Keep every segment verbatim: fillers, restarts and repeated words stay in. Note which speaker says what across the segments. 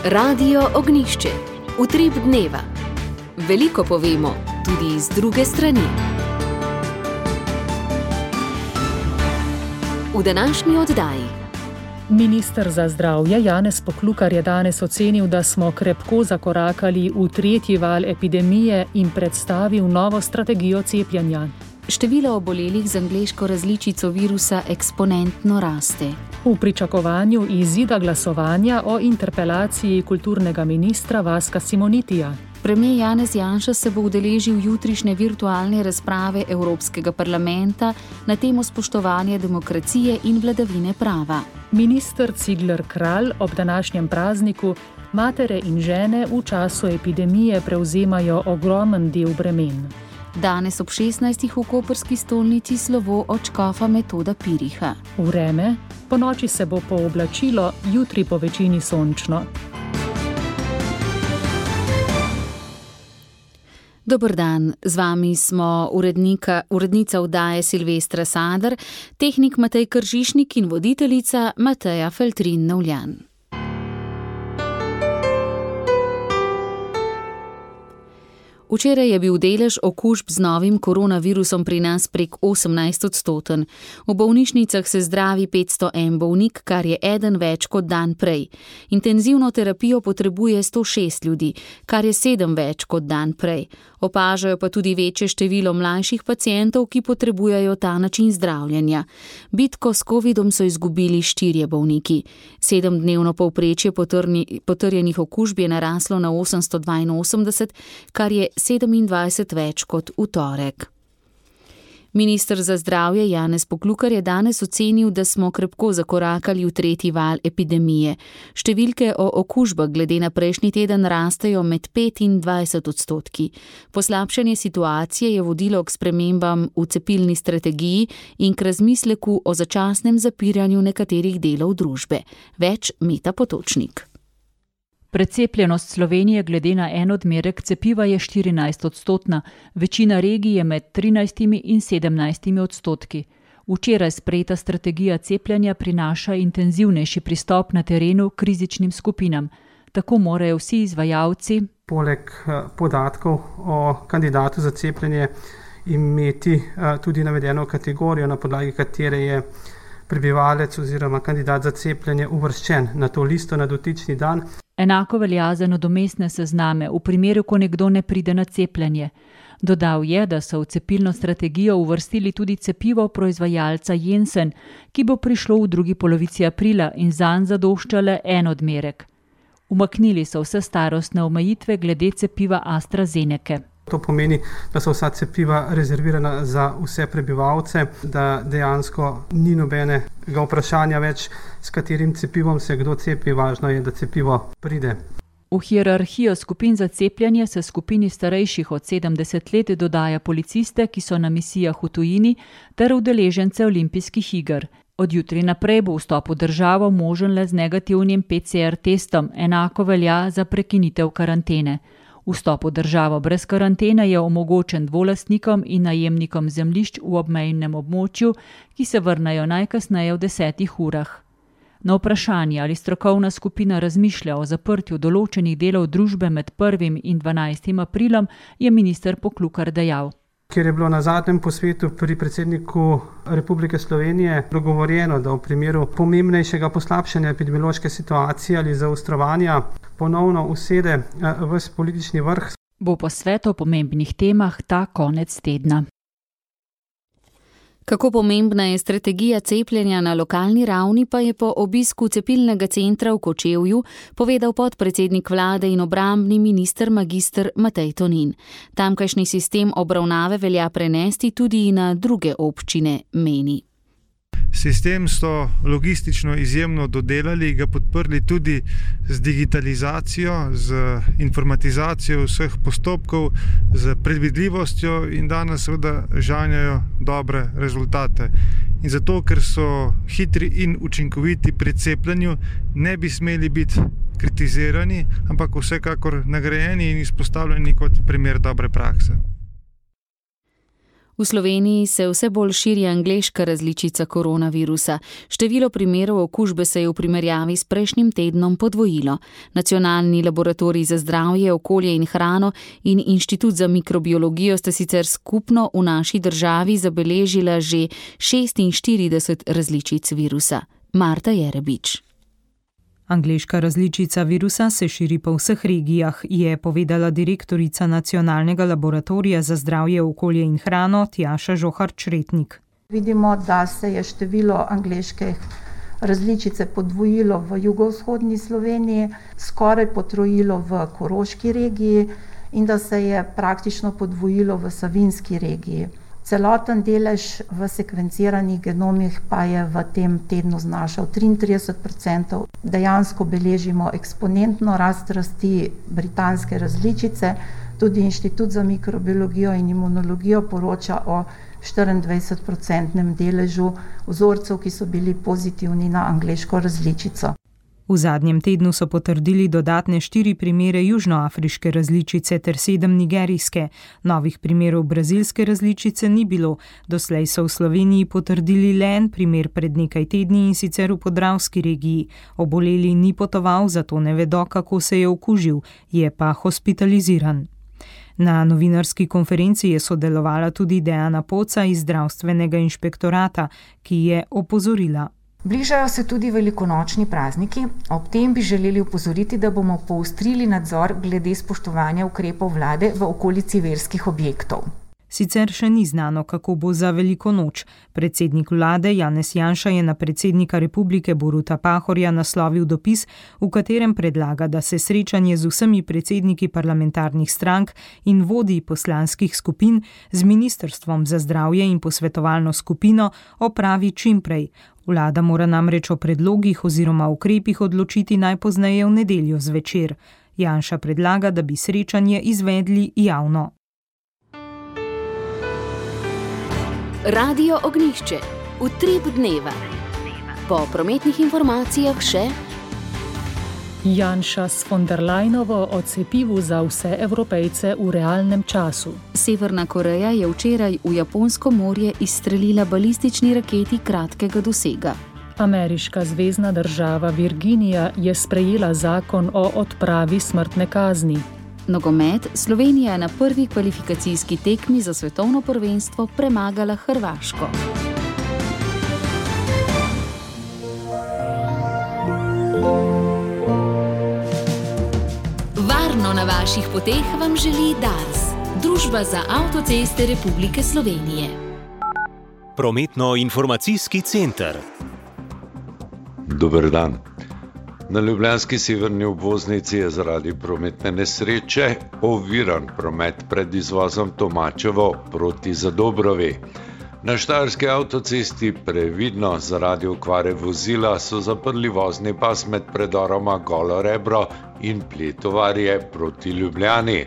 Speaker 1: Radio Ognjišče. Utrip dneva. Veliko povemo, tudi iz druge strani. V današnji oddaji.
Speaker 2: Minister za zdravje Janez Poklukar je danes ocenil, da smo krepko zakorakali v tretji val epidemije in predstavil novo strategijo cepljenja.
Speaker 3: Število obolelih z angleško različico virusa eksponentno raste.
Speaker 2: V pričakovanju izida glasovanja o interpelaciji kulturnega ministra Vaska Simonitija.
Speaker 3: Premier Janez Janša se bo udeležil jutrišnje virtualne razprave Evropskega parlamenta na temo spoštovanja demokracije in vladavine prava.
Speaker 2: Minister Cigler Kralj ob današnjem prazniku matere in žene v času epidemije prevzemajo ogromen del bremen.
Speaker 3: Danes ob šestnajstih v koprski stolnici slovo od škofa Metoda Piriha.
Speaker 2: Vreme, po noči se bo pooblačilo, jutri po večini sončno.
Speaker 3: Dober dan, z vami smo urednika, urednica oddaje Silvestra Sadar, tehnik Matej Kržišnik in voditeljica Mateja Feltrin-Novljan. Včeraj je bil delež okužb z novim koronavirusom pri nas prek osemnajst odstoten. V bolnišnicah se zdravi petsto en bolnik, kar je eden več kot dan prej. Intenzivno terapijo potrebuje sto šest ljudi, kar je sedem več kot dan prej. Opažajo pa tudi večje število mlajših pacientov, ki potrebujejo ta način zdravljenja. Bitko s covidom so izgubili štirje bolniki. Sedemdnevno povprečje potrjenih okužb je naraslo na osemsto dvainosemdeset, kar je sedemindvajset več kot v torek. Minister za zdravje Janez Poklukar je danes ocenil, da smo krepko zakorakali v tretji val epidemije. Številke o okužbah glede na prejšnji teden rastejo med pet in dvajset odstotki. Poslabšanje situacije je vodilo k spremembam v cepilni strategiji in k razmisleku o začasnem zapiranju nekaterih delov družbe. Več Meta Potočnik.
Speaker 4: Precepljenost Slovenije glede na en odmerek cepiva je štirinajst odstotna, večina regij je med trinajstimi in sedemnajstimi odstotki. Včeraj sprejeta strategija cepljenja prinaša intenzivnejši pristop na terenu k rizičnim skupinam. Tako morajo vsi izvajalci
Speaker 5: poleg podatkov o kandidatu za cepljenje imeti tudi navedeno kategorijo, na podlagi katere je prebivalec oziroma kandidat za cepljenje uvrščen na to listo na dotični dan.
Speaker 4: Enako velja za nadomestne sezname v primeru, ko nekdo ne pride na cepljenje. Dodal je, da so v cepilno strategijo uvrstili tudi cepivo proizvajalca Janssen, ki bo prišlo v drugi polovici aprila in zanj zadoščale en odmerek. Umaknili so vse starostne omejitve glede cepiva AstraZenece.
Speaker 5: To pomeni, da so vsa cepiva rezervirana za vse prebivalce, da dejansko ni nobenega vprašanja več, s katerim cepivom se kdo cepi, važno je, da cepivo pride.
Speaker 4: V hierarhijo skupin za cepljenje se skupini starejših od sedemdeset let dodaja policiste, ki so na misijah v tujini, ter udeležence olimpijskih iger. Od jutri naprej bo vstop v državo možen le z negativnim P C R testom, enako velja za prekinitev karantene. Vstop v državo brez karantene je omogočen dvolastnikom in najemnikom zemljišč v obmejnem območju, ki se vrnejo najkasneje v desetih urah. Na vprašanje, ali strokovna skupina razmišlja o zaprtju določenih delov družbe med prvim in dvanajstim aprilom, je minister Poklukar dejal.
Speaker 5: Ker je bilo na zadnjem posvetu pri predsedniku Republike Slovenije dogovorjeno, da v primeru pomembnejšega poslabšanja epidemiološke situacije ali zaostrovanja ponovno usede ves politični vrh.
Speaker 4: Bo posvet o pomembnih temah ta konec tedna.
Speaker 3: Kako pomembna je strategija cepljenja na lokalni ravni, pa je po obisku cepilnega centra v Kočevju povedal podpredsednik vlade in obrambni minister magister Matej Tonin. Tamkajšnji sistem obravnave velja prenesti tudi na druge občine, meni.
Speaker 6: Sistem so logistično izjemno dodelali, ga podprli tudi z digitalizacijo, z informatizacijo vseh postopkov, z predvidljivostjo in danes seveda žanjajo dobre rezultate. In zato, ker so hitri in učinkoviti pri cepljenju, ne bi smeli biti kritizirani, ampak vsekakor nagrajeni in izpostavljeni kot primer dobre prakse.
Speaker 3: V Sloveniji se vse bolj širi angleška različica koronavirusa. Število primerov okužbe se je v primerjavi s prejšnjim tednom podvojilo. Nacionalni laboratorij za zdravje, okolje in hrano in Inštitut za mikrobiologijo sta sicer skupno v naši državi zabeležila že šestinštirideset različic virusa. Marta Jerebič.
Speaker 7: Angleška različica virusa se širi po vseh regijah, je povedala direktorica Nacionalnega laboratorija za zdravje, okolje in hrano Tjaša Žohar-Čretnik.
Speaker 8: Vidimo, da se je število angleške različice podvojilo v jugovzhodni Sloveniji, skoraj potrojilo v Koroški regiji in da se je praktično podvojilo v Savinjski regiji. Celoten delež v sekvenciranih genomih pa je v tem tednu znašal triintrideset procentov. Dejansko beležimo eksponentno rast rasti britanske različice. Tudi Inštitut za mikrobiologijo in imunologijo poroča o štiriindvajsetprocentnem deležu vzorcev, ki so bili pozitivni na angleško različico.
Speaker 7: V zadnjem tednu so potrdili dodatne štiri primere južnoafriške različice ter sedem nigerijske. Novih primerov brazilske različice ni bilo. Doslej so v Sloveniji potrdili le en primer pred nekaj tedni in sicer v Podravski regiji. Oboleli ni potoval, zato ne vedo, kako se je okužil, je pa hospitaliziran. Na novinarski konferenci je sodelovala tudi Dejana Poca iz zdravstvenega inšpektorata, ki je opozorila.
Speaker 9: Bližajo se tudi velikonočni prazniki, ob tem bi želeli opozoriti, da bomo poostrili nadzor glede spoštovanja ukrepov vlade v okolici verskih objektov.
Speaker 7: Sicer še ni znano, kako bo za veliko noč. Predsednik vlade Janez Janša je na predsednika republike Boruta Pahorja naslovil dopis, v katerem predlaga, da se srečanje z vsemi predsedniki parlamentarnih strank in vodji poslanskih skupin z Ministrstvom za zdravje in posvetovalno skupino opravi čimprej. Vlada mora namreč o predlogih oziroma ukrepih odločiti najpozneje v nedeljo zvečer. Janša predlaga, da bi srečanje izvedli javno.
Speaker 1: Radio Ognjišče. Utrip dneva. Po prometnih informacijah še
Speaker 2: Janša s von der Leyenovo o cepivu za vse Evropejce v realnem času.
Speaker 3: Severna Koreja je včeraj v Japonsko morje izstrelila balistični raketi kratkega dosega.
Speaker 2: Ameriška zvezna država Virginija je sprejela zakon o odpravi smrtne kazni.
Speaker 3: Nogomet. Slovenija je na prvi kvalifikacijski tekmi za svetovno prvenstvo premagala Hrvaško.
Speaker 1: Varno na vaših poteh vam želi Dars, Družba za avtoceste Republike Slovenije.
Speaker 10: Prometno-informacijski center.
Speaker 11: Dober dan. Na ljubljanski severni obvoznici je zaradi prometne nesreče oviran promet pred izvozom Tomačevo proti Zadobrovi. Na štajerski avtocesti previdno zaradi okvare vozila so zaprli vozni pas med predoroma Golo Rebro in Pletovarje proti Ljubljani.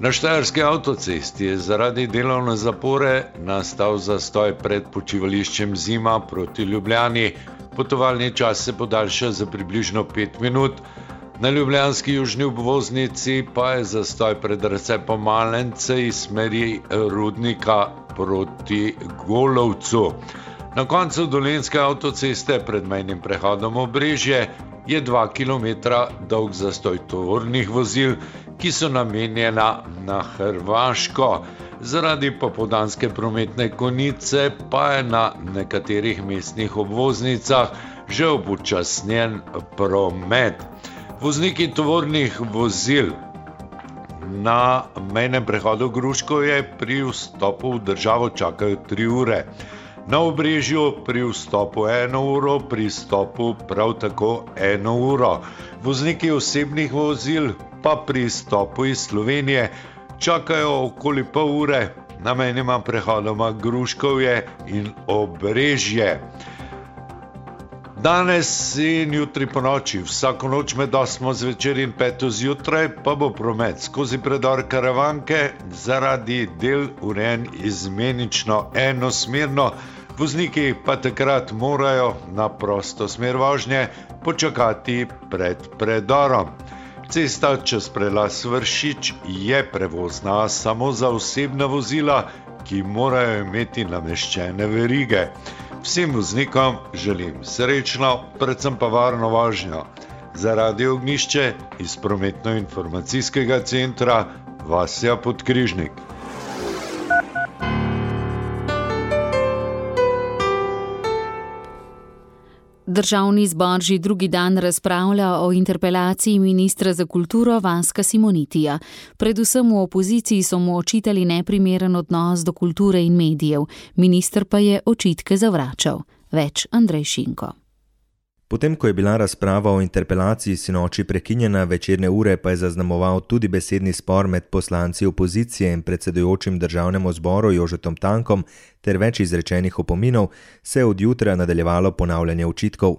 Speaker 11: Na štajerski avtocesti je zaradi delovne zapore nastal zastoj pred počivališčem Zima proti Ljubljani. Potovalni čas se podaljša za približno pet minut. Na ljubljanski južni obvoznici pa je zastoj pred razcepom Malence iz smeri Rudnika proti Golovcu. Na koncu dolenjske avtoceste pred mejnim prehodom Obrežje je dva kilometra dolg zastoj tovornih vozil, ki so namenjena na Hrvaško. Zaradi popoldanske prometne konice pa je na nekaterih mestnih obvoznicah že upočasnjen promet. Vozniki tovornih vozil na mejnem prehodu Gruškovje pri vstopu v državo čakajo tri ure. Na Obrežju pri vstopu eno uro, pri vstopu prav tako eno uro. Vozniki osebnih vozil pa pri vstopu iz Slovenije čakajo okoli pol ure na mejnima prehodoma Gruškovje in Obrežje. Danes in jutri po noči, vsako noč med osmo zvečer in peto zjutraj, pa bo promet skozi predor Karavanke zaradi del urejen izmenično enosmerno. Vozniki pa takrat morajo na prosto smer vožnje počakati pred predorom. Cesta čez prelaz Vršič je prevozna samo za osebna vozila, ki morajo imeti nameščene verige. Vsem voznikom želim srečno, predvsem pa varno vožnjo. Za Radio Ognjišče iz prometno-informacijskega centra Vasja Podkrižnik.
Speaker 3: Državni zbor že drugi dan razpravlja o interpelaciji ministra za kulturo Vaska Simonitija. Predvsem v opoziciji so mu očitali neprimeren odnos do kulture in medijev, minister pa je očitke zavračal. Več Andrej Šinko.
Speaker 10: Potem, ko je bila razprava o interpelaciji sinoči prekinjena, večerne ure pa je zaznamoval tudi besedni spor med poslanci opozicije in predsedujočim državnemu zboru Jožetom Tankom ter več izrečenih opominov, se je od jutra nadaljevalo ponavljanje očitkov.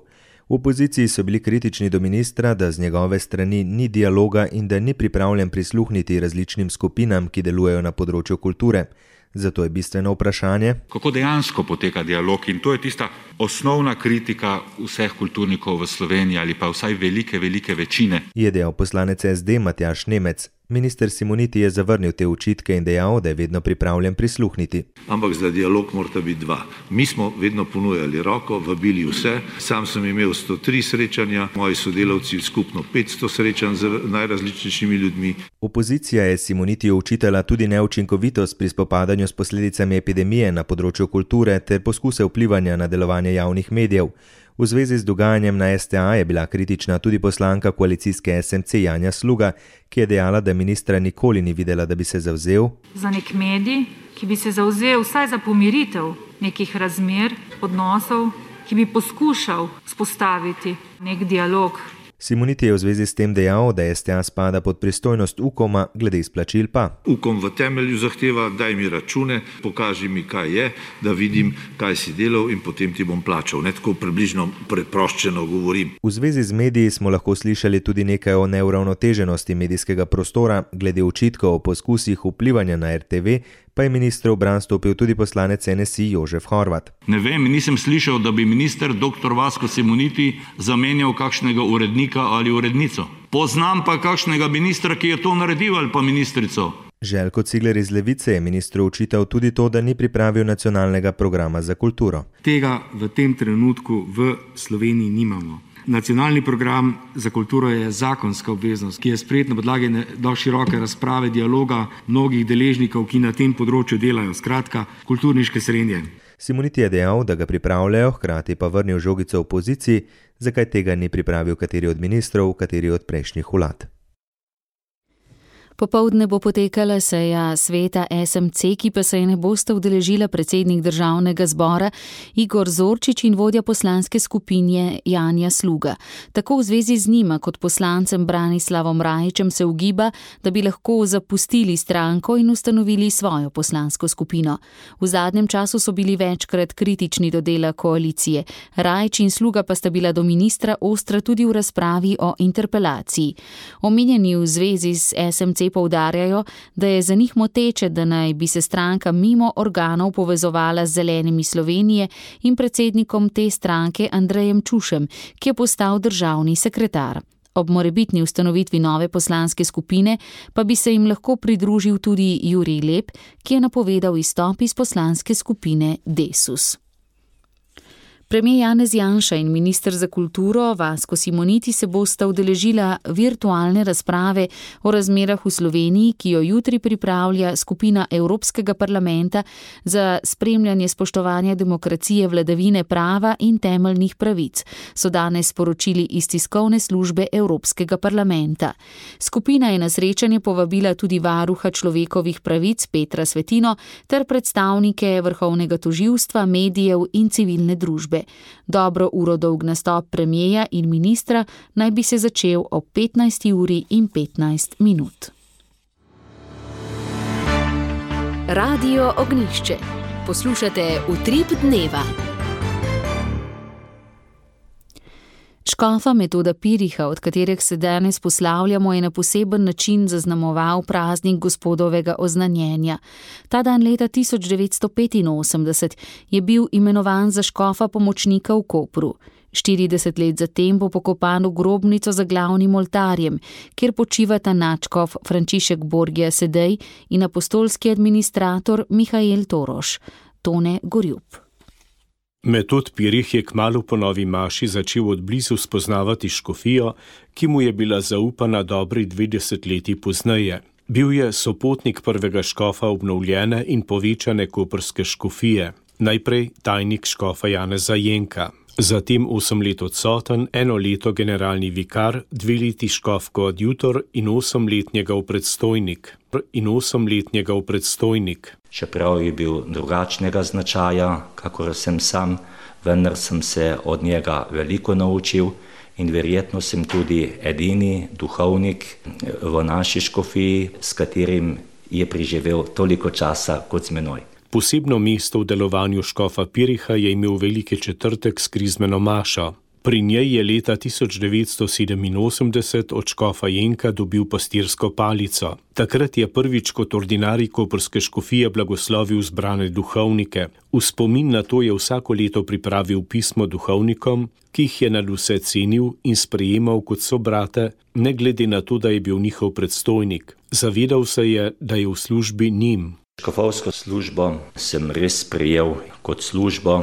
Speaker 10: V opoziciji so bili kritični do ministra, da z njegove strani ni dialoga in da ni pripravljen prisluhniti različnim skupinam, ki delujejo na področju kulture. Zato je bistveno vprašanje,
Speaker 12: kako dejansko poteka dialog, in to je tista osnovna kritika vseh kulturnikov v Sloveniji ali pa vsaj velike, velike večine.
Speaker 10: Je dejal poslanec S D Matjaž Nemec. Minister Simoniti je zavrnil te očitke in dejal, da je vedno pripravljen prisluhniti.
Speaker 13: Ampak za dialog morata biti dva. Mi smo vedno ponujali roko, vabili vse. Sam sem imel sto tri srečanja, moji sodelavci skupno petsto srečanj z najrazličnejšimi ljudmi.
Speaker 10: Opozicija je Simonitiju očitala tudi neučinkovitost pri spopadanju s posledicami epidemije na področju kulture ter poskuse vplivanja na delovanje javnih medijev. V zvezi z dogajanjem na S T A je bila kritična tudi poslanka koalicijske S M C Janja Sluga, ki je dejala, da ministra nikoli ni videla, da bi se zavzel
Speaker 14: za nek medij, ki bi se zavzel vsaj za pomiritev nekih razmer, odnosov, ki bi poskušal spostaviti nek dialog.
Speaker 10: Simoniti je v zvezi s tem dejal, da S T A spada pod pristojnost Ukoma, glede izplačil pa.
Speaker 13: Ukom v temelju zahteva, daj mi račune, pokaži mi, kaj je, da vidim, kaj si delal in potem ti bom plačal. Ne tako približno preproščeno govorim.
Speaker 10: V zvezi z mediji smo lahko slišali tudi nekaj o neuravnoteženosti medijskega prostora, glede očitkov o poskusih vplivanja na R T V, pa je ministru v bran stopil tudi poslanec N S I Jožef Horvat.
Speaker 15: Ne vem, nisem slišal, da bi minister dr. Vasko Simoniti zamenjal kakšnega urednika ali urednico. Poznam pa kakšnega ministra, ki je to naredil, ali pa ministrico.
Speaker 10: Željko Cigler iz Levice je ministru očital tudi to, da ni pripravil nacionalnega programa za kulturo.
Speaker 16: Tega v tem trenutku v Sloveniji nimamo. Nacionalni program za kulturo je zakonska obveznost, ki je sprejet na podlagi do široke razprave, dialoga mnogih deležnikov, ki na tem področju delajo, skratka, kulturniške srednje.
Speaker 10: Simoniti je dejal, da ga pripravljajo, hkrati pa vrnil žogico v opoziciji, zakaj tega ni pripravil kateri od ministrov, kateri od prejšnjih vlad.
Speaker 3: Popoldne bo potekala seja sveta S M C, ki pa se je ne bosta udeležila predsednik državnega zbora Igor Zorčič in vodja poslanske skupine Janja Sluga. Tako v zvezi z njima kot poslancem Branislavom Rajićem se ugiba, da bi lahko zapustili stranko in ustanovili svojo poslansko skupino. V zadnjem času so bili večkrat kritični do dela koalicije. Rajić in Sluga pa sta bila do ministra ostra tudi v razpravi o interpelaciji. Omenjeni v zvezi z S M C poudarjajo, da je za njih moteče, da naj bi se stranka mimo organov povezovala z Zelenimi Slovenije in predsednikom te stranke Andrejem Čušem, ki je postal državni sekretar. Ob morebitni ustanovitvi nove poslanske skupine pa bi se jim lahko pridružil tudi Jurij Lep, ki je napovedal izstop iz poslanske skupine Desus. Premier Janez Janša in minister za kulturo Vasko Simoniti se bosta udeležila virtualne razprave o razmerah v Sloveniji, ki jo jutri pripravlja skupina Evropskega parlamenta za spremljanje spoštovanja demokracije, vladavine prava in temeljnih pravic, so danes sporočili iz tiskovne službe Evropskega parlamenta. Skupina je na srečanje povabila tudi varuha človekovih pravic Petra Svetino ter predstavnike vrhovnega tožilstva, medijev in civilne družbe. Dobro uro dolg nastop premierja in ministra naj bi se začel ob petnajsti uri in petnajst minut.
Speaker 1: Radio Ognjišče. Poslušate Utrip dneva.
Speaker 3: Škofa Metoda Piriha, od katerih se danes poslavljamo, je na poseben način zaznamoval praznik Gospodovega oznanjenja. Ta dan leta tisoč devetsto petinosemdeset je bil imenovan za škofa pomočnika v Kopru. štirideset let zatem bo pokopan v grobnico za glavnim oltarjem, kjer počivata nadškof Frančišek Borgija Sedej in apostolski administrator Mihael Toroš. Tone Gorjup.
Speaker 17: Metod Pirih je kmalu po novi maši začel odblizu spoznavati škofijo, ki mu je bila zaupana dobri dve desetletji pozneje. Bil je sopotnik prvega škofa obnovljene in povečane koprske škofije, najprej tajnik škofa Janeza Jenka, zatem osem let odsoten, eno leto generalni vikar, dve leti škof koadjutor in osem let njegov predstojnik. In osem let njegov predstojnik.
Speaker 18: Čeprav je bil drugačnega značaja, kakor sem sam, vendar sem se od njega veliko naučil in verjetno sem tudi edini duhovnik v naši škofiji, s katerim je preživel toliko časa kot z menoj.
Speaker 17: Posebno mesto v delovanju škofa Piriha je imel Veliki četrtek s krizmeno mašo. Pri njej je leta tisoč devetsto sedeminosemdeset od škofa Jenka dobil pastirsko palico. Takrat je prvič kot ordinarij koprske škofije blagoslovil zbrane duhovnike. V spomin na to je vsako leto pripravil pismo duhovnikom, ki jih je nadvse cenil in sprejemal kot sobrate, ne glede na to, da je bil njihov predstojnik. Zavedal se je, da je v službi njim.
Speaker 18: Škofovsko službo sem res sprejel kot službo.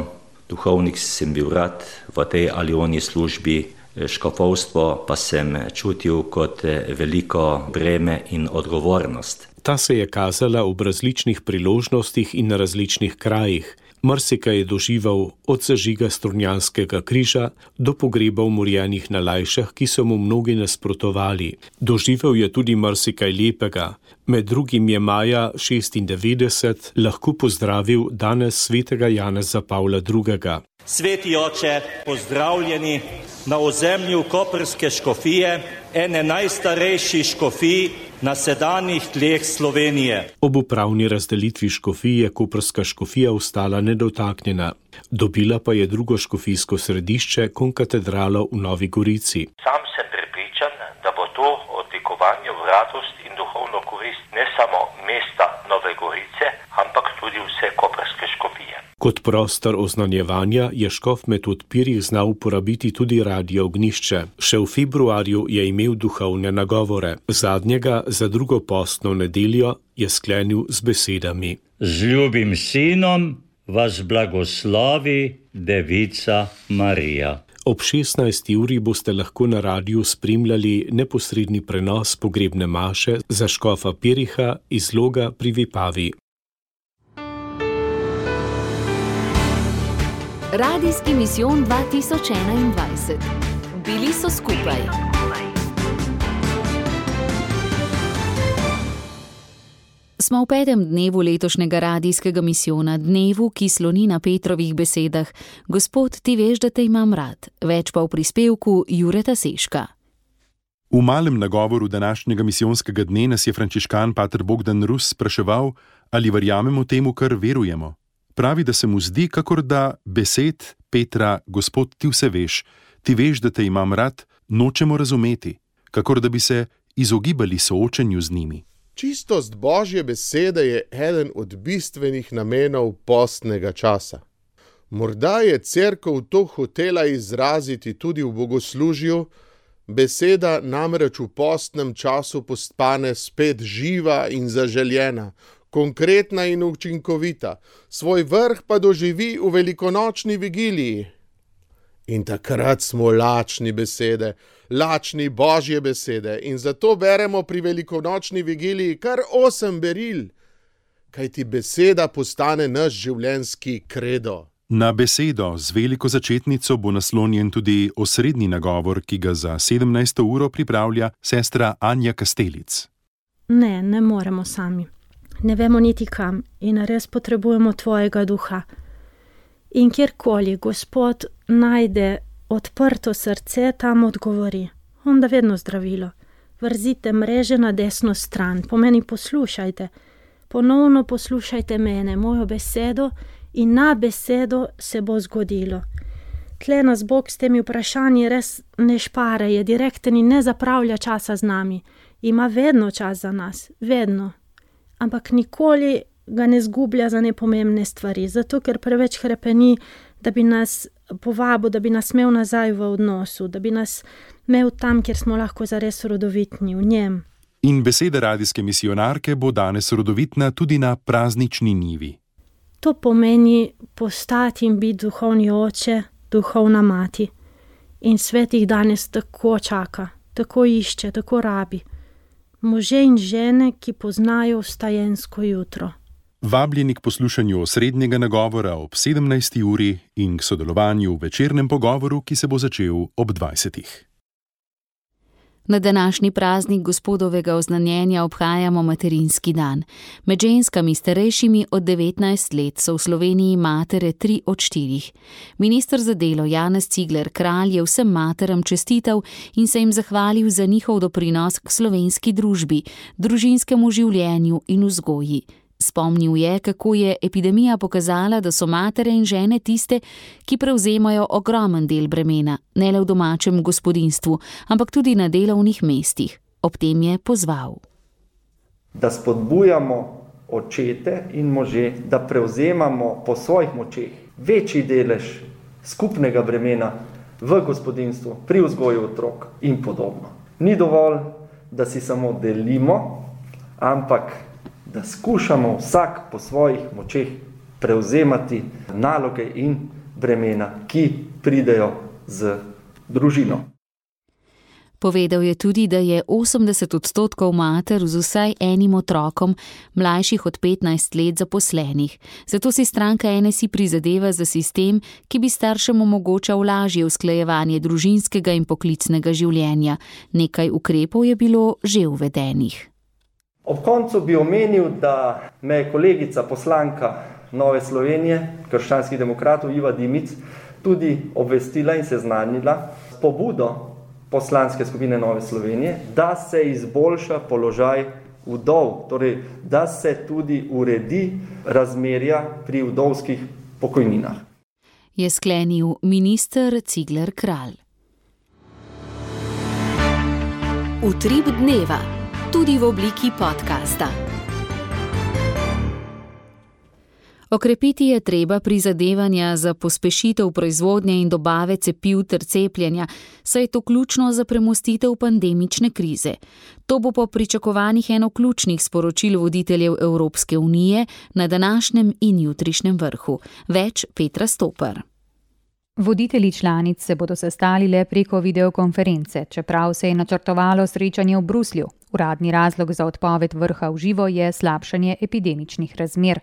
Speaker 18: Duhovnik sem bil rad v tej ali oni službi, škofovstvo pa sem čutil kot veliko breme in odgovornost.
Speaker 17: Ta se je kazala ob različnih priložnostih in na različnih krajih. Marsikaj je doživel od zažiga Strunjanskega križa do pogreba umorjenih na Lajšah, ki so mu mnogi nasprotovali. Doživel je tudi marsikaj lepega. Med drugim je maja šestindevetdeset lahko pozdravil danes svetega Janeza Pavla drugega.
Speaker 19: Sveti oče, pozdravljeni na ozemlju koprske škofije, ene najstarejših škofij na sedanjih tleh Slovenije.
Speaker 17: Ob upravni razdelitvi škofij je koprska škofija ostala nedotaknjena. Dobila pa je drugo škofijsko središče, konkatedralo v Novi Gorici.
Speaker 20: Sam sem prepričan, da bo to odlikovanje v radost in duhovno korist ne samo mesta Nove Gorice, ampak tudi vse koprske škofije.
Speaker 17: Kot prostor oznanjevanja je škof Metod Pirih znal uporabiti tudi radio Ognjišče. Še v februarju je imel duhovne nagovore. Zadnjega za drugo postno nedeljo je sklenil z besedami.
Speaker 21: Z ljubim sinom vas blagoslovi Devica Marija.
Speaker 17: Ob šestnajsti uri boste lahko na radiju spremljali neposredni prenos pogrebne maše za škofa Piriha iz Loga pri Vipavi.
Speaker 1: Radijski misijon dva tisoč enaindvajset. Bili so skupaj.
Speaker 3: Smo v petem dnevu letošnjega radijskega misijona, dnevu, ki sloni na Petrovih besedah: Gospod, ti veš, da te imam rad. Več pa v prispevku Jureta Seška.
Speaker 22: V malem nagovoru današnjega misijonskega dne nas je frančiškan pater Bogdan Rus spraševal, ali verjamemo temu, kar verujemo. Pravi, da se mu zdi, kakor da besed Petra, Gospod, ti vse veš, ti veš, da te imam rad, nočemo razumeti, kakor da bi se izogibali soočenju z njimi.
Speaker 23: Čistost Božje besede je eden od bistvenih namenov postnega časa. Morda je cerkev to hotela izraziti tudi v bogoslužju, beseda namreč v postnem času postane spet živa in zaželjena, konkretna in učinkovita, svoj vrh pa doživi v velikonočni vigiliji. In takrat smo lačni besede, lačni Božje besede in zato beremo pri velikonočni vigiliji kar osem beril, kajti beseda postane naš življenjski kredo.
Speaker 22: Na besedo z veliko začetnico bo naslonjen tudi osrednji nagovor, ki ga za sedemnajsto uro pripravlja sestra Anja Kastelic.
Speaker 24: Ne, ne moremo sami. Ne vemo niti kam in res potrebujemo tvojega duha. In kjerkoli Gospod najde odprto srce, tam odgovori. On da vedno zdravilo. Vrzite mreže na desno stran, pomeni poslušajte. Ponovno poslušajte mene, mojo besedo, in na besedo se bo zgodilo. Tle nas Bog s temi vprašanji res ne špare, je direkten in ne zapravlja časa z nami. Ima vedno čas za nas, vedno. Ampak nikoli ga ne zgublja za nepomembne stvari, zato ker preveč hrepeni, da bi nas povabil, da bi nas imel nazaj v odnosu, da bi nas imel tam, kjer smo lahko zares rodovitni, v njem.
Speaker 22: In beseda radijske misionarke bo danes rodovitna tudi na praznični njivi.
Speaker 24: To pomeni postati in biti duhovni oče, duhovna mati. In svet jih danes tako čaka, tako išče, tako rabi. Može in žene, ki poznajo vstajensko jutro.
Speaker 22: Vabljeni k poslušanju osrednjega nagovora ob sedemnajsti uri in k sodelovanju v večernem pogovoru, ki se bo začel ob dvajsetih.
Speaker 3: Na današnji praznik Gospodovega oznanjenja obhajamo materinski dan. Med ženskami starejšimi od devetnajst let so v Sloveniji matere tri od štirih. Minister za delo Janez Cigler Kralj je vsem materam čestital in se jim zahvalil za njihov doprinos k slovenski družbi, družinskemu življenju in vzgoji. Spomnil je, kako je epidemija pokazala, da so matere in žene tiste, ki prevzemajo ogromen del bremena, ne le v domačem gospodinjstvu, ampak tudi na delovnih mestih. Ob tem je pozval.
Speaker 4: Da spodbujamo očete in može, da prevzemamo po svojih močeh večji delež skupnega bremena v gospodinjstvu, pri vzgoju otrok in podobno. Ni dovolj, da si samo delimo, ampak da skušamo vsak po svojih močeh prevzemati naloge in bremena, ki pridejo z družino.
Speaker 3: Povedal je tudi, da je osemdeset odstotkov mater z vsaj enim otrokom mlajših od petnajst let zaposlenih. Zato si stranka N S I prizadeva za sistem, ki bi staršem omogočal lažje usklajevanje družinskega in poklicnega življenja. Nekaj ukrepov je bilo že uvedenih.
Speaker 4: Ob koncu bi omenil, da me je kolegica poslanka Nove Slovenije, krščanskih demokratov Iva Dimic, tudi obvestila in seznanila s pobudo poslanske skupine Nove Slovenije, da se izboljša položaj vdov, torej da se tudi uredi razmerja pri vdovskih pokojninah.
Speaker 3: Je sklenil minister Cigler Kralj.
Speaker 1: Utrip dneva. Tudi v obliki podcasta.
Speaker 3: Okrepiti je treba prizadevanja za pospešitev proizvodnje in dobave cepiv ter cepljenja, saj je to ključno za premostitev pandemične krize. To bo po pričakovanjih eno ključnih sporočil voditeljev Evropske unije na današnjem in jutrišnjem vrhu. Več Petra Stopar.
Speaker 5: Voditelji članic se bodo sestali le preko videokonference, čeprav se je načrtovalo srečanje v Bruslju. Uradni razlog za odpoved vrha v živo je slabšanje epidemičnih razmer.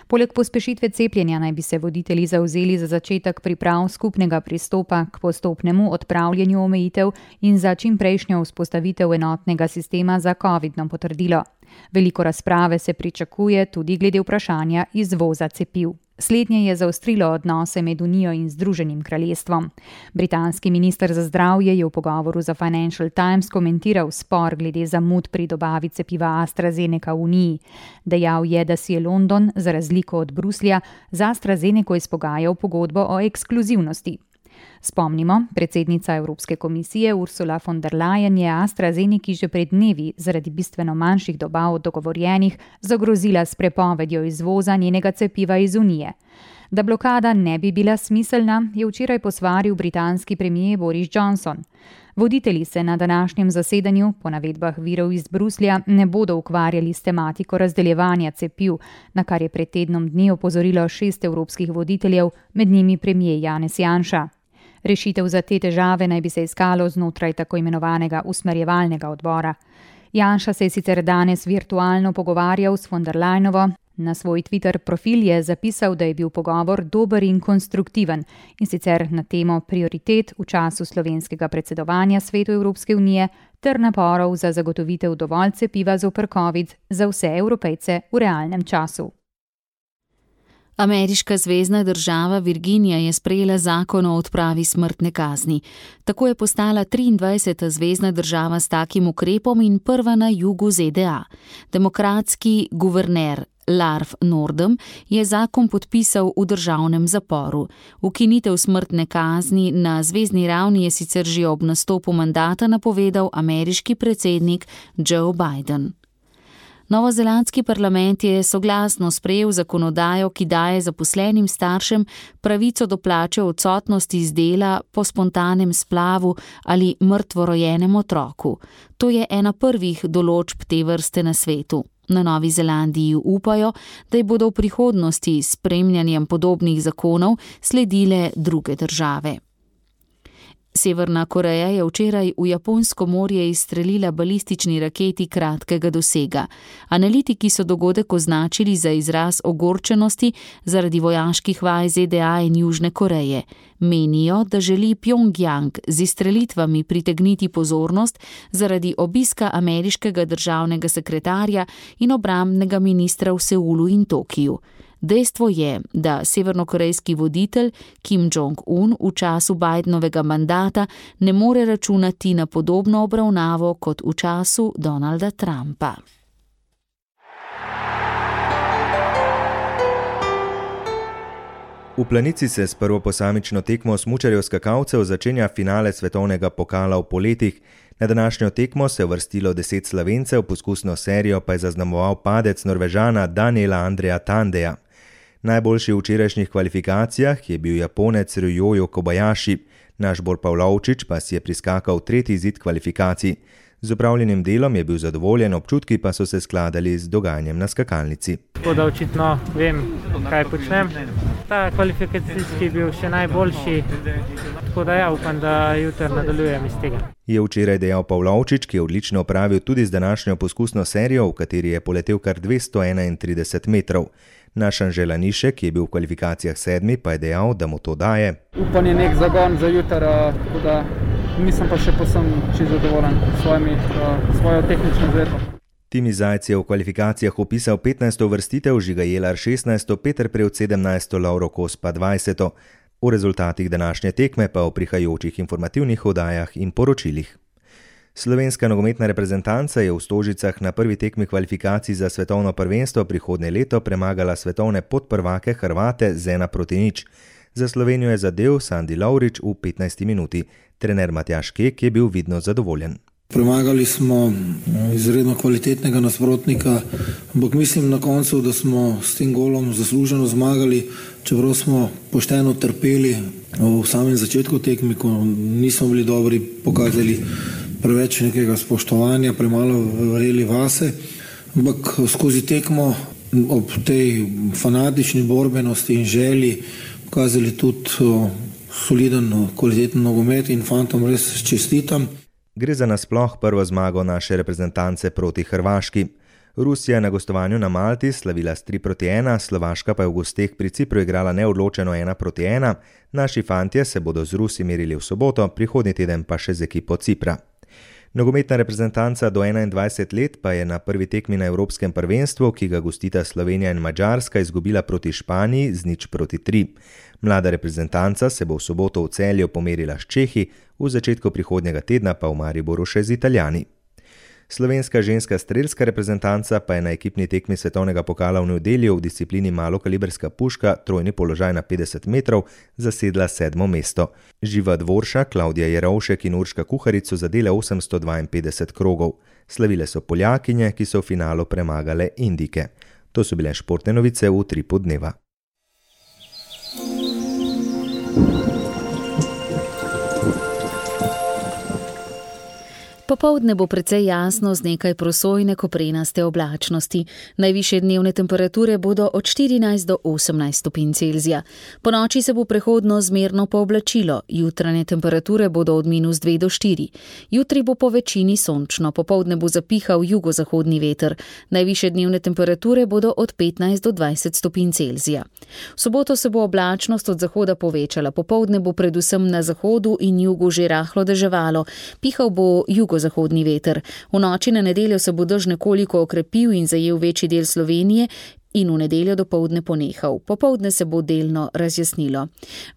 Speaker 5: Poleg pospešitve cepljenja naj bi se voditelji zavzeli za začetek priprav skupnega pristopa k postopnemu odpravljanju omejitev in za čimprejšnjo vzpostavitev enotnega sistema za covidno potrdilo. Veliko razprave se pričakuje tudi glede vprašanja izvoza cepiv. Slednje je zaostrilo odnose med Unijo in Združenim kraljestvom. Britanski minister za zdravje je v pogovoru za Financial Times komentiral spor glede zamud pri dobavi cepiva AstraZeneca v Uniji. Dejal je, da si je London, za razliko od Bruslja, za AstraZeneco izpogajal pogodbo o ekskluzivnosti. Spomnimo, predsednica Evropske komisije Ursula von der Leyen je AstraZeneki že pred dnevi zaradi bistveno manjših dobav od dogovorjenih zagrozila s prepovedjo izvoza njenega cepiva iz Unije. Da blokada ne bi bila smiselna, je včeraj posvaril britanski premier Boris Johnson. Voditelji se na današnjem zasedanju, po navedbah virov iz Bruslja, ne bodo ukvarjali s tematiko razdeljevanja cepiv, na kar je pred tednom dni opozorilo šest evropskih voditeljev, med njimi premier Janez Janša. Rešitev za te težave naj bi se iskalo znotraj tako imenovanega usmerjevalnega odbora. Janša se je sicer danes virtualno pogovarjal s von der Leyenovo. Na svoj Twitter profil je zapisal, da je bil pogovor dober in konstruktiven, in sicer na temo prioritet v času slovenskega predsedovanja Svetu Evropske unije ter naporov za zagotovitev dovolj cepiva zoper COVID za vse Evropejce v realnem času.
Speaker 3: Ameriška zvezna država Virginija je sprejela zakon o odpravi smrtne kazni. Tako je postala triindvajseta zvezna država s takim ukrepom in prva na jugu Z D A. Demokratski guverner Larf Nordem je zakon podpisal v državnem zaporu. Ukinitev smrtne kazni na zvezni ravni je sicer že ob nastopu mandata napovedal ameriški predsednik Joe Biden. Novozelandski parlament je soglasno sprejel zakonodajo, ki daje zaposlenim staršem pravico do plače odsotnosti z dela po spontanem splavu ali mrtvorojenem otroku. To je ena prvih določb te vrste na svetu. Na Novi Zelandiji upajo, da ji bodo v prihodnosti s spremljanjem podobnih zakonov sledile druge države. Severna Koreja je včeraj v Japonsko morje izstrelila balistični raketi kratkega dosega. Analitiki so dogodek označili za izraz ogorčenosti zaradi vojaških vaj Z D A in Južne Koreje. Menijo, da želi Pjongjang z izstrelitvami pritegniti pozornost zaradi obiska ameriškega državnega sekretarja in obrambnega ministra v Seulu in Tokiju. Dejstvo je, da severnokorejski voditelj Kim Jong-un v času Bidenovega mandata ne more računati na podobno obravnavo kot v času Donalda Trumpa.
Speaker 10: V Planici se s prvo posamično tekmo smučarjev skakalcev začenja finale svetovnega pokala v poletih. Na današnjo tekmo se je vrstilo deset Slovencev, poskusno serijo pa je zaznamoval padec Norvežana Daniela Andreja Tandeja. Najboljši v včerajšnjih kvalifikacijah je bil Japonec Ryoyo Kobayashi, naš Bor Pavlovčič pa si je priskakal tretji izid kvalifikacij. Z opravljenim delom je bil zadovoljen, občutki pa so se skladali z dogajanjem na skakalnici.
Speaker 6: Tako da očitno vem, kaj počnem. Ta kvalifikacijski je bil še najboljši, tako da ja, upam, da jutri nadaljujem iz tega.
Speaker 10: Je včeraj dejal Pavlovčič, ki je odlično opravil tudi z današnjo poskusno serijo, v kateri je poletel kar dvesto enaintrideset metrov. Naš Anže Lanišek, ki je bil v kvalifikacijah sedmi, pa je dejal, da mu to daje.
Speaker 7: Upanje je nek zagon za jutri, tako da nisem pa še posem čisto zadovoljen s svojo tehnično izvedbo.
Speaker 10: Timi Zajc je v kvalifikacijah upisal petnajsto uvrstitev, Žiga Jelar šestnajsto, Peter Prevc sedemnajsto, Lovro Kos pa dvajseto. O rezultatih današnje tekme pa v prihajajočih informativnih oddajah in poročilih. Slovenska nogometna reprezentanca je v Stožicah na prvi tekmi kvalifikacij za svetovno prvenstvo prihodnje leto premagala svetovne podprvake Hrvate z ena proti nič. Za Slovenijo je zadel Sandi Lovrič v petnajsti minuti. Trener Matjaž Kek je bil vidno zadovoljen.
Speaker 8: Premagali smo izredno kvalitetnega nasprotnika, ampak mislim na koncu, da smo s tem golom zasluženo zmagali, čeprav smo pošteno trpeli v samem začetku tekmi, ko nismo bili dobri, pokazali preveč nekega spoštovanja, premalo verjeli vase, ampak skozi tekmo ob tej fanatični borbenosti in želji pokazali tudi soliden, kvaliteten nogomet in fantom res čestitam.
Speaker 10: Gre za nasploh prvo zmago naše reprezentance proti Hrvaški. Rusija je na gostovanju na Malti slavila s tri proti ena, Slovaška pa je v gosteh pri Cipru igrala neodločeno ena proti ena. Naši fantje se bodo z Rusi merili v soboto, prihodnji teden pa še z ekipo Cipra. Nogometna reprezentanca do enaindvajset let pa je na prvi tekmi na Evropskem prvenstvu, ki ga gostita Slovenija in Madžarska, izgubila proti Španiji z nič proti tri. Mlada reprezentanca se bo v soboto v Celju pomerila s Čehi, v začetku prihodnjega tedna pa v Mariboru še z Italijani. Slovenska ženska strelska reprezentanca pa je na ekipni tekmi svetovnega pokala v nedeljo v disciplini malokaliberska puška trojni položaj na petdeset metrov zasedla sedmo mesto. Živa Dvoršak, Klavdija Jerovšek in Urška Kuharic so zadele osemsto dvainpetdeset krogov. Slavile so Poljakinje, ki so v finalu premagale Indike. To so bile športne novice v Utripu dneva.
Speaker 3: Popoldne bo precej jasno z nekaj prosojne koprenaste oblačnosti. Najvišje dnevne temperature bodo od štirinajst do osemnajst stopinj Celzija. Ponoči se bo prehodno zmerno pooblačilo, jutranje temperature bodo od minus dve do štiri. Jutri bo po večini sončno, popoldne bo zapihal jugozahodni veter. Najvišje dnevne temperature bodo od petnajst do dvajset stopinj Celzija. V soboto se bo oblačnost od zahoda povečala, popoldne bo predvsem na zahodu in jugu že rahlo deževalo, pihal bo jugo zahodni veter. V noči na nedeljo se bo dež nekoliko okrepil in zajel večji del Slovenije in v nedeljo dopoldne ponehal. Popoldne se bo delno razjasnilo.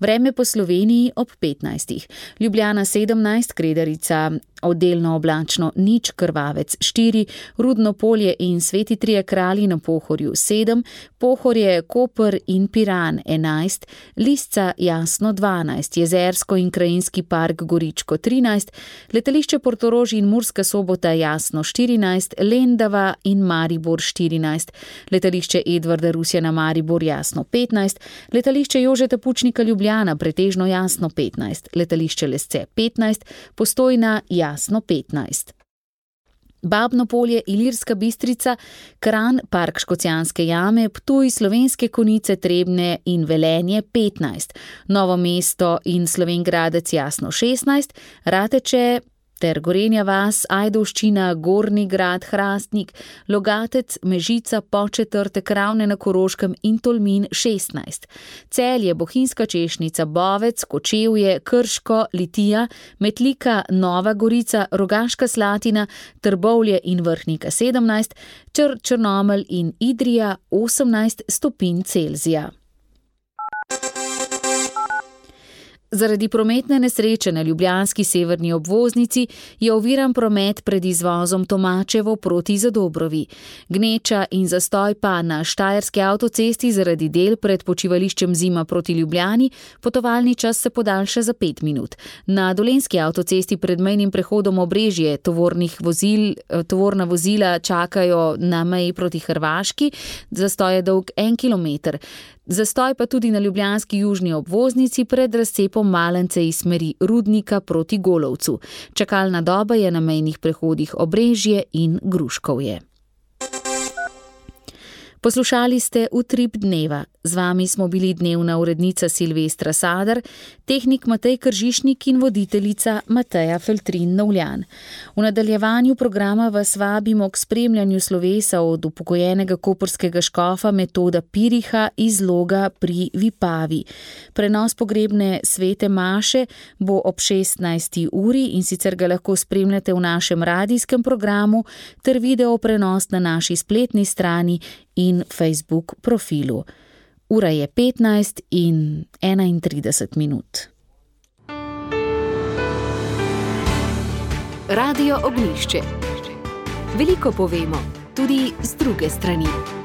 Speaker 3: Vreme po Sloveniji ob petnajstih. Ljubljana sedemnajst, Kredarica Delno oblačno nič, Krvavec štiri, Rudno Polje in Sveti Trije kralji na Pohorju sedem, Pohorje, Koper in Piran enajst, Lisca Jasno dvanajst, Jezersko in Krajinski park Goričko trinajst, letališče Portorož in Murska Sobota Jasno štirinajst, Lendava in Maribor štirinajst, letališče Edvarda Rusjana Maribor Jasno petnajst, letališče Jožeta Pučnika Ljubljana pretežno Jasno petnajst, letališče Lesce petnajst, Postojna Jasno petnajst. Babno Polje, Ilirska Bistrica, Kranj, Park Škocjanske jame, Ptuj, Slovenske Konjice, Trebnje in Velenje petnajst, Novo mesto in Slovenj Gradec Jasno šestnajst, Rateče ter Gorenja vas, Ajdovščina, Gornji grad, Hrastnik, Logatec, Mežica, Podčetrtek, Ravne na Koroškem in Tolmin šestnajst. Celje, Bohinjska Češnica, Bovec, Kočevje, Krško, Litija, Metlika, Nova Gorica, Rogaška Slatina, Trbovlje in Vrhnika sedemnajst, Čr, Črnomelj in Idrija osemnajst stopinj Celzija. Zaradi prometne nesreče na ljubljanski severni obvoznici je oviran promet pred izvozom Tomačevo proti Zadobrovi. Gneča in zastoj pa na Štajerski avtocesti zaradi del pred počivališčem Zima proti Ljubljani, potovalni čas se podaljša za pet minut. Na Dolenjski avtocesti pred mejnim prehodom Obrežje tovornih vozil, tovorna vozila čakajo na meji proti Hrvaški, zastoj je dolg en kilometer. Zastoj pa tudi na ljubljanski južni obvoznici pred razcepom Malence iz smeri Rudnika proti Golovcu. Čakalna doba je na mejnih prehodih Obrežje in Gruškovje. Poslušali ste Utrip dneva. Z vami smo bili dnevna urednica Silvestra Sadar, tehnik Matej Kržišnik in voditeljica Mateja Feltrin Novljan. V nadaljevanju programa vas vabimo k spremljanju slovesa od upokojenega koprskega škofa Metoda Piriha iz Loga pri Vipavi. Prenos pogrebne svete maše bo ob šestnajsti uri in sicer ga lahko spremljate v našem radijskem programu ter video prenos na naši spletni strani in Facebook profilu. Ura je petnajst in enaintrideset minut.
Speaker 1: Radio Ognjišče. Veliko povemo, tudi z druge strani.